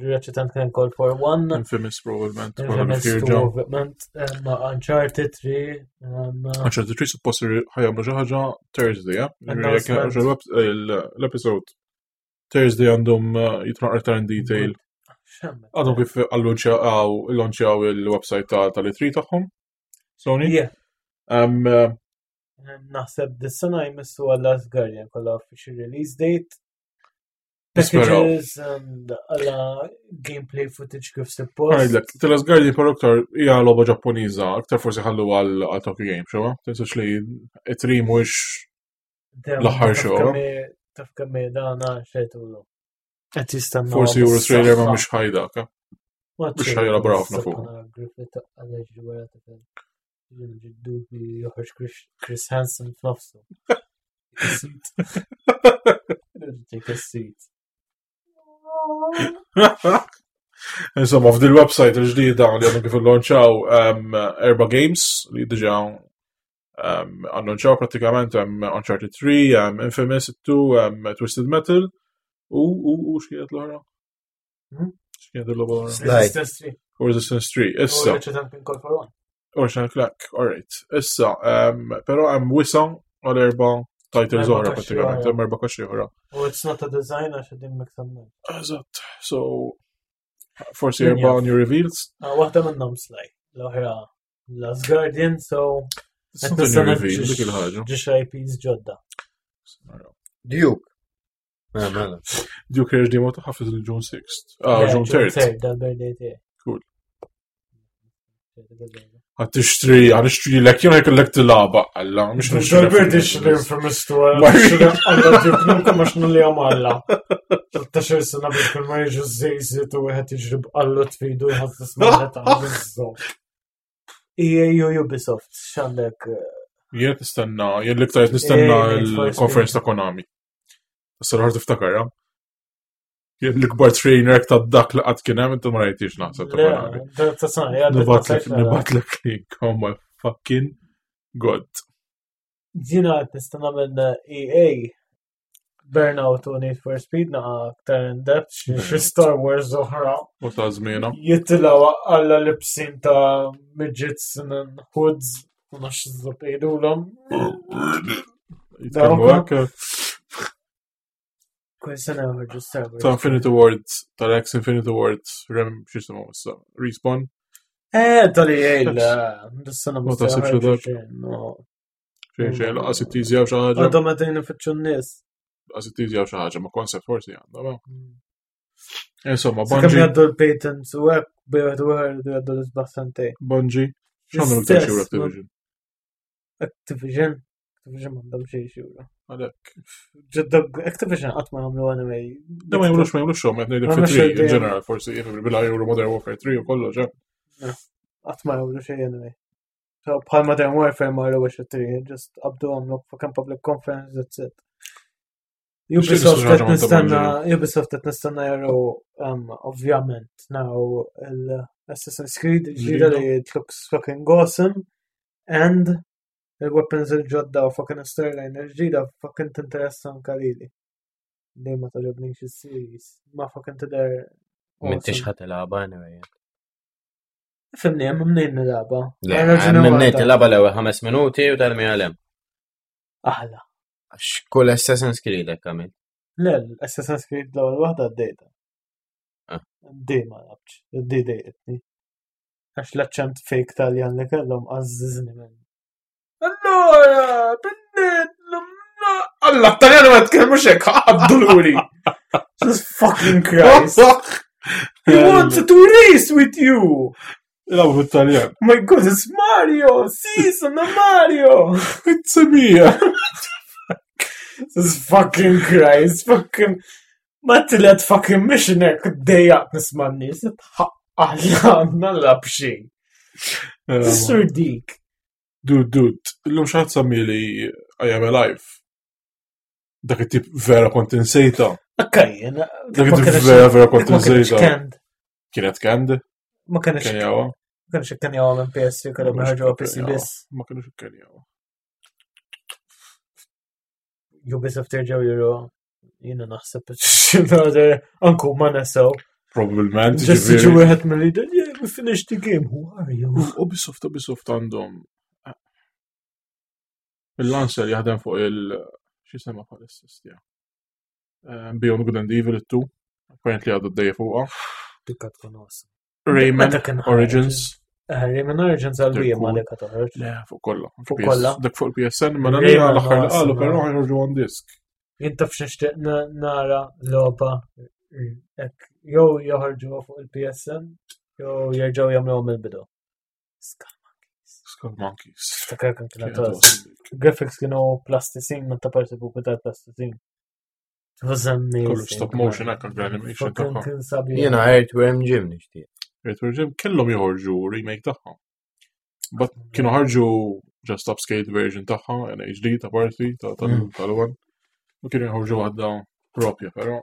Ratchet and Clank All for One, Infamous probablement. probably Infamous Fear 2, Jump. ovvjament, Uncharted 3, Uncharted 3 suppost ħa jagħmlu xi ħaġa Thursday, ja? Announcement. L-episode Thursday għandhom jitnaqra iktar in detail. xemmet. Għadhom kif allanċjaw il-website tal-E3 tagħhom. Sony. Yeah. Naħseb dis-sena jmissu għal Last Guardian kollha official release date. Nisperaw. Packages and għala gameplay footage kif suppost. Għajdlek, The Last Guardian però aktar hija logħba Ġappuniża, aktar forsi ħallu għal Tokyo Game Show, eh? Tinsax li E3 mhuwiex Dem, l-aħħar taf show, kemm Taf kemm dana xejtulu. Qed jistenna. forsi juru trailer ma mhux ħajdak. eh? mhux ħajelaboraw ħafna fuq. Griffith għal wara tifel. Ġiddubi joħroġ Chris Hansen f'nofsu. Take a seat. Take a seat. Insomma, f'dil website il-ġdida li għandhom kif illonċaw erba games li diġa annunċaw pratikament hemm Uncharted 3, Infamous 2, Twisted Metal u x'kienet l-oħra? Hmm? X'kienet l-oħra? Sly. Resistance 3. U Resistance 3. Issa, U Ratchet and Clank All for One. Ratchet and Clank, alright. Issa, però hemm wisa għal erba titles Erba' oħra kaxxi pratikament, oħra. hemm erba' kaxxi oħra. U it's not a design għax qegħdin mix and Eżatt. So, forsi Min erba' jaf. new reveals. Ah, Waħda minnhom Sly, l-oħra. Last Guardian, so It's not a new reveal, dik il-ħaġa. Ġiex IPs ġodda. Duke. Mela, mela. Duke Rage Demo ta' ħafna il-June 6th. Ah, June 3rd. Dal-birthday tiegħi. Cool. Għad tixtri, għad tixtri l-ek, jena jkollek tilaba, għalla, mux nixtri. Dal-birthday xli infamous tu għalla Duke Nukem għax nulli għamalla. 13 sena biex kull ma jiġu żejżiet u wieħed jiġri b'qallu tfidu jħadd tisma' għażżu. EA u Ubisoft x'għandek Jien qed nistenna, jien l-iktar qed nistenna Eh, Need for l-conference ta' Konami. Issa l-ħar tiftakar, ja? Jien l-ikbar trainer ta' dak li qatt kien hemm inti ma rajtix naħseb ta' Konami. Ta' sana, jgħaddi. Nibatlek link, oh my fucking god. Jina qed nistenna minn EA Burnout u Need for Speed naqa aktar in depth xi Star Wars oħra. U ta' żmiena. Jittilaw għalla libsin ta' midgets and hoods u nafx iżob jgħidulhom. Jitkellmu hekk. Kull sena joħorġu Star Wars. Ta' Infinity Ward, tal-ex Infinity Ward, rem x'jisimhom issa, Respawn. Eh, tal-EA, dis-sena Ma taħsibx li dak? No. Xejn xejn, laqas it-tiżjaw xi ħaġa. Għadhom qegħdin ifittxu n-nies. Laqas it-tiżjaw xi ħaġa, ma concept forsi għandha. ma. Insomma, Sakemm Bungie, jgħaddu l-patents u hekk bejn u ieħor jgħaddu l-isbaħ sentejn. Bungie, x'għandhom iktar L-istess, xi ma- Activision? Activision. Activision m'għandhom xejn xura. Għalhekk. Ġodda Activision qatt ma jagħmlu anyway. Da ma jagħmlux ma jagħmlux xogħol, qed ngħidlek Ma fi jagħmlux 3 in xogħol. ġeneral forsi jifhem bila juru Modern Warfare 3 u kollox, eh. Qatt ma jagħmlu xejn anyway. So bħal Modern Warfare ma jagħmlu xi tri, just qabdu għamlu fucking public conference, that's it. Ubisoft xi ħaġa qed ma nistenna, ta' Ubisoft qed nistenna jaraw um, ovvjament naraw l-Assassin's Creed il-ġdida li it looks fucking awesome and il-weapons il-ġodda u fucking storyline il-ġdida fucking tinteressa anka lili. Li ma taġobnix is-series, ma fucking tidher M'intix awesome. ħa tilgħabha anyway. Fimni, hemm mnejn nilgħabha. Le, Għal raġuni minn waħda. tilgħabha l-ewwel ħames minuti u tarmi għalem. Aħla. Għax kull Assassin's Creed hekk għamil. Le, l-Assassin's Creed l-ewwel waħda għaddejta. Ah. D ma labx, D dejqitni. Għax l-aċċent fake Taljan li kellhom għazzizni minn. Allora, binnet, Alla, Taljan ma tkellmux hekk, għadduluri. Jesus fucking Christ. He wants to race with you. Ilgħabu bit-Taljan. My God, it's Mario! Si, sono Mario! It's a mia. Jesus fucking Christ, fucking. Ma tilet fucking mission hekk dejjaq nisma' n-nies, Alla, nalla b'xejn. Sur dik. Dude, dude, illum xi ħadd sammili I am alive. Dak it-tip vera kont insejta. Akkaj, jena. Dak it-tip vera vera kont Ma kienx insejta. canned. Kienet canned? Ma kienx Kien jawa? ma kienx ikkenjawa minn PS3 kellhom joħorġu PC biss. Ma kienux ikkenjawa. Ubisoft jerġgħu juru jiena naħseb anku ma nesew. Probabilment. Just jiġu ġifieri. wieħed mill-leader, yeah, we finished the game, who are you? Ubisoft, Ubisoft għandhom. Il-Lancer jaħdem fuq il- xi sema bħalissa stja. Beyond Good and Evil 2. Apparently għadu d-dejja fuqha. Dikka tkun awesome. Rayman Meta kien ħareġ? Origins. Eh, Rayman Origins għal They're Wii ma cool. dik toħroġ. Le, fuq kollha. Fuq PS kollha. Dak fuq il-PSN, ma Rayman nagħmel l-aħħar li qalu, awesome, però eh. ħajħorġu on disc. Jien taf x'nixtieq nara logħba hekk jew joħorġu fuq il-PSN jew jerġgħu jagħmluhom mill-bidu. Skull Monkeys. Skull Monkeys. Ftakar kemm kienet Kienet awesome. awesome dik. Graphics kienu plasticine, ma ta' parti buku tal-plasticine. It was amazing. Kollu stop motion hekk anke animation Fucking tagħha. kien sabiħ. Jiena Earthworm Jim nixtieq. Earthworm Jim kellhom joħorġu remake tagħha. But kienu ħarġu just upscaled version tagħha in HD ta' parti ta' tal-one. U kienu joħorġu waħda propja, però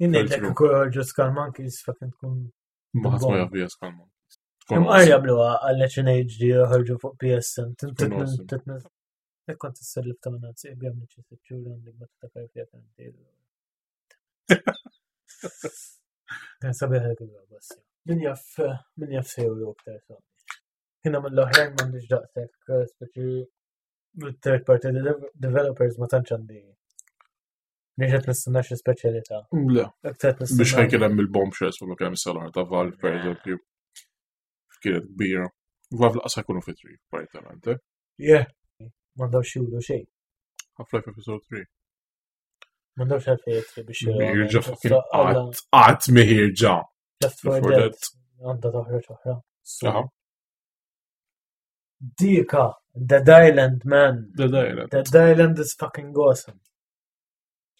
Jien ngħidlek True. kieku joħorġu Skull Monkeys fucking tkun. ma ħadd ma jaf bija Skull Monkeys. Tkun Imqar awesome. jagħmluha għal HD joħorġu fuq PSN. Tkun awesome. Titnez. Jekk kont tissellif ta' minn għazzi, bjam li xi sitt xhur għandek ma tiftakar fiha kemm tgħidu. Kien sabiħ dik il-logħba issa. Min jaf min jaf sejru aktar sa. Jiena mill-oħrajn m'għandix daqshekk, speċi third party developers ma tantx għandi. Mhix qed nistenna xi speċjalità. Le, Aktar qed biex nistenna. ħajkien hemm il-bombshells fuq kemm salar ta' Valve per eżempju. Kienet kbira. Valve laqas jkunu fit-3, apparentement. Eh? Yeah. M'għandhomx juru xejn. Half-Life Episode 3. M'għandhomx għalfejn jitri biex Miħirġa fucking qatt, qatt miħirġa. Left 4 Dead. Għandha toħroġ oħra. Dika, Dead Island, man. Dead Island. Dead Island is fucking awesome.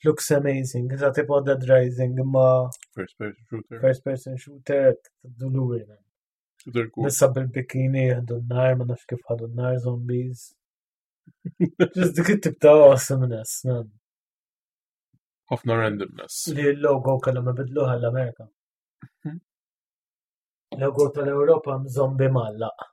Looks amazing. Iżda tipo Dead Rising imma. First person shooter. First person shooter, duluri, man. Nissa bil-bikini jihdu n-nar, ma nafx kif ħadu n-nar zombies. Just dik it-tip ta' awesomeness, man. Ħafna randomness. Li l-logo kellhom ibidluha l-Amerika. Logo tal-Ewropa zombi mallaq.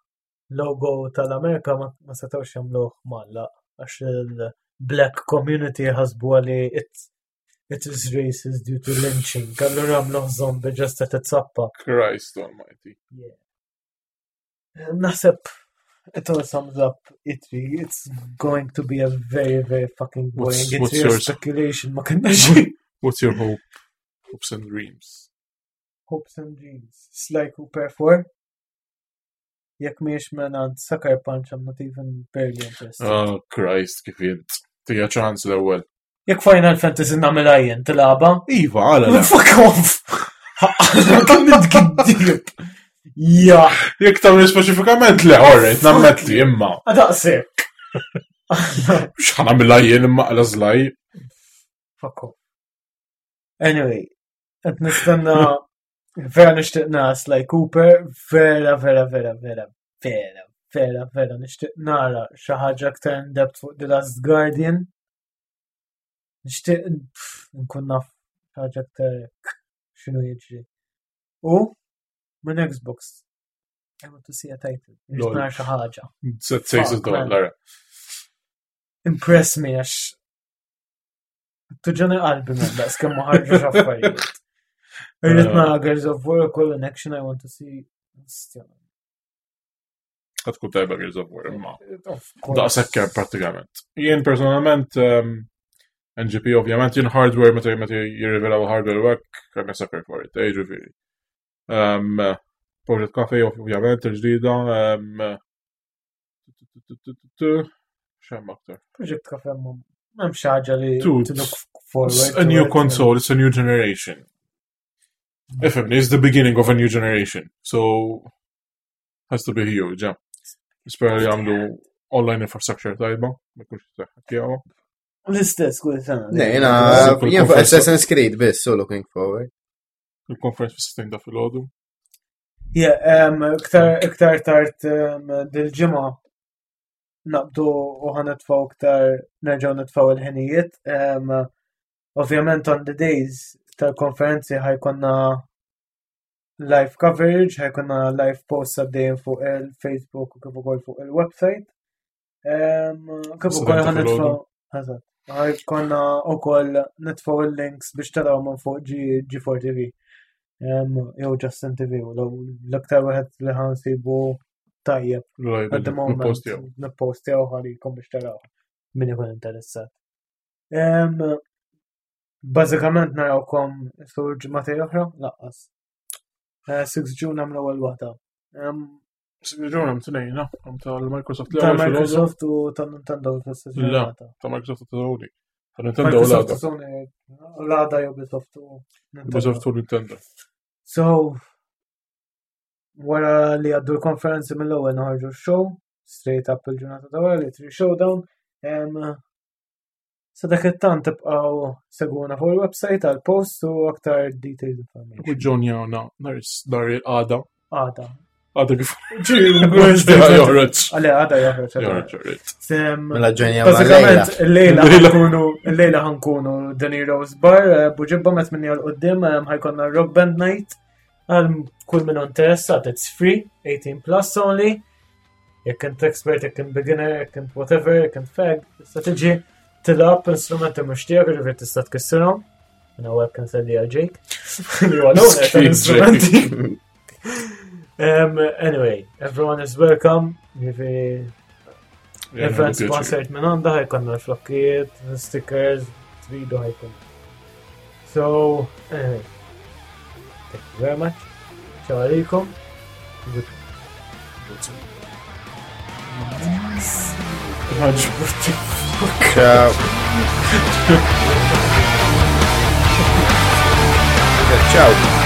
Logo tal-Amerika ma setgħux jagħmluh mallaq għax il-black community ħasbu li it is racist due to lynching. Allura għamluh zombie just qed titzappa. Christ almighty. Yeah. Naħseb it all sums up E3. It's going to be a very, very fucking boring What's- E3 what's yours? speculation. Ma kinnax What's your hope? Hopes and dreams. Hopes and Dreams. Sly Cooper 4. Jekk miex menant Sucker Punch, I'm not even barely interested. Oh, Christ, kif jint. Tija ċans l-ewwel. Jekk Final Fantasy nagħmilha jien tilgħabha? Iva, għala le. Fuck off! Kemm nitgiddib! Ja, Jekk tagħmel speċifikament le, alright, nammetti imma. daqshekk. Mhux ħanamilha jien imma għala żlaj. Fuck off. Anyway, qed nistenna vera nixtieq nara Sly Cooper, vera, vera, vera, vera, vera, vera, vera nixtieq nara xi ħaġa aktar in depth fuq The Last Guardian. Nixtieq pff, nkun naf xi ħaġa aktar x'inhu jiġri. U minn Xbox. I want to see a title. Nixtieq Lol. nara xi ħaġa. That says it Fuck, all, man. Lara. Impress me għax tuġani qalbi minn daqs kemm ma ħarġu affarijiet. Irrid nara Gears of War ukoll in action I want to see. Ostja. Ħad tkun tajba Gears of War imma. Of course. Daqshekk hemm pratikament. Jien personalment um, NGP ovvjament jien hardware meta meta jirrivelaw hardware u hekk kemm sucker for it, eh, ġifieri. Um, Project Cafe ovvjament il-ġdida. Um, X'hemm aktar? Project Cafe ma m'hemm xi ħaġa li Dude, to look forward. It's a new to it. console, it's a new generation. Ifhimni, it's the beginning of a new generation. So has to be huge, yeah. Nispera li għamlu online infrastructure tajba, ma jkunx tiegħu. L-istess kull sena. Ne, jena, Kull jien fuq conference- Assassin's Creed biss, so looking forward. Il-conference fis-16 ta' filgħodu. Yeah, um, iktar iktar tard um, dil-ġimgħa naqbdu u ħanitfgħu iktar nerġgħu nitfgħu il-ħinijiet. Um, ovvjament on the days tal-konferenzi ħajkonna live coverage, ħajkonna live posts għaddejjin fuq il-Facebook u kif ukoll fuq il-website. Um, kif Is-sebgħa ukoll ta' ħanitfgħu filgħodu. Eżatt. Ħajkonna ukoll nitfgħu il-links biex taraw minn fuq G- G4 TV. Um, jew Justin TV u l-aktar wieħed li ħansibu tajjeb at the moment Post jew. nippostjaw ħalikom biex taraw min ikun interessat. Um, Bażikament narawkom sur ġimgħatej oħra, laqqas. 6 June għamlu ewwel waħda. Um, Ġun hemm tnejn, no? Hemm tal-Microsoft ta' l-ewwel filgħodu, Microsoft u ta' Nintendo fl-istess La. ġurnata. ta' Microsoft u ta' Sony. Ta' Nintendo u Microsoft l-għada. u Sony, l-għada Ubisoft u Nintendo. Ubisoft u Nintendo. So, wara li għaddu l-konferenzi mill-ewwel noħorġu show, straight up il-ġurnata ta' wara li tri showdown. Em, Sa dak it-tant tibqgħu segwuna fuq il-website għal post u aktar detailed U information. ġonjawna nhar nhar il-għada. Għada. Għada kif Wednesday. joħroġ. Għale, għada joħroġ. għada. Joħroġ, joħroġ. Sem, Mela ġenja ma lejla. Bażikament, il-lejla Lejla. ħankunu, il-lejla ħankunu The Heroes Bar, eh, Buġibba met minni għal-qoddim, eh, ħajkonna Rock Band Night, għal kull minn interessat, it's free, 18 plus only, jekk int expert, jekk int beginner, jekk int whatever, jekk int fag, tista' tiġi tilab instrumenti mhux tiegħek, ġifieri tista' tkissirhom. Minn hawnhekk inselli għal Jake. Li huwa l-owner tal-instrumenti. Anyway, everyone is welcome. Ġifieri Event sponsored minn għanda ħajkonna l-flokkiet, stickers, tridu ħajkun. So, anyway, thank you very much. Ciao għalikom. Good. Good. Ħaġbuti. Ciao. Ciao.